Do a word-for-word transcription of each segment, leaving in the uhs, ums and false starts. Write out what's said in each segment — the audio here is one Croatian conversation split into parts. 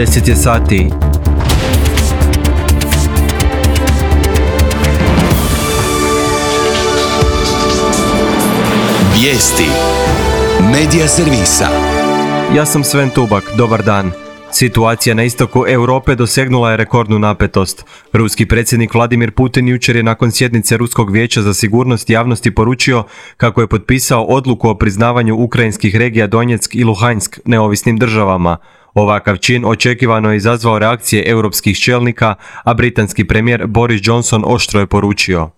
deset je sati. Vijesti Medija servisa. Ja sam Sven Tubak, dobar dan. Situacija na istoku Europe dosegnula je rekordnu napetost. Ruski predsjednik Vladimir Putin jučer je nakon sjednice Ruskog vijeća za sigurnost javnosti poručio kako je potpisao odluku o priznavanju ukrajinskih regija Donjeck i Luhansk neovisnim državama. Ovakav čin očekivano je izazvao reakcije europskih čelnika, a britanski premijer Boris Johnson oštro je poručio: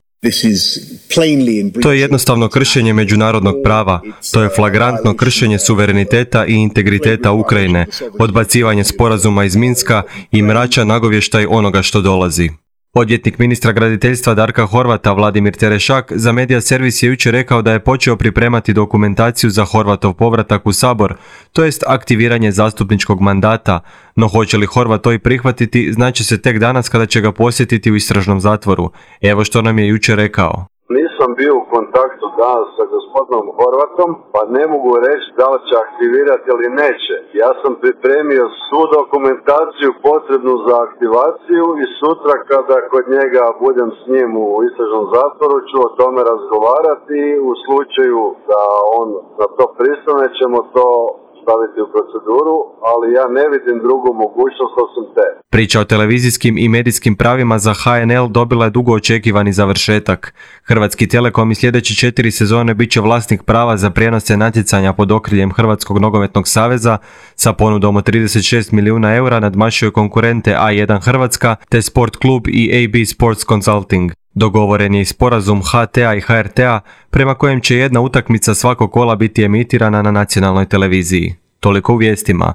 To je jednostavno kršenje međunarodnog prava, to je flagrantno kršenje suvereniteta i integriteta Ukrajine, odbacivanje sporazuma iz Minska i mračan nagovještaj onoga što dolazi. Odvjetnik ministra graditeljstva Darka Horvata Vladimir Terešak za Medija servis je jučer rekao da je počeo pripremati dokumentaciju za Horvatov povratak u Sabor, to jest aktiviranje zastupničkog mandata, no hoće li Horvat to i prihvatiti, znači se tek danas kada će ga posjetiti u istražnom zatvoru. Evo što nam je jučer rekao. Nisam bio u kontaktu danas sa gospodinom Horvatom, pa ne mogu reći da li će aktivirati ili neće. Ja sam pripremio svu dokumentaciju potrebnu za aktivaciju i sutra kada kod njega budem s njim u istražnom zatvoru ću o tome razgovarati. U slučaju da on na to pristane ćemo to staviti u proceduru, ali ja ne vidim drugu mogućnost osim te. Priča o televizijskim i medijskim pravima za H N L dobila je dugo očekivani završetak. Hrvatski Telekom i sljedeće četiri sezone bit će vlasnik prava za prijenose natjecanja pod okriljem Hrvatskog nogometnog saveza. Sa ponudom od trideset šest milijuna eura nadmašuje konkurente A jedan Hrvatska te Sport Klub i A B Sports Consulting. Dogovoren je i sporazum H T A i H R T A prema kojem će jedna utakmica svakog kola biti emitirana na nacionalnoj televiziji. Toliko u vijestima.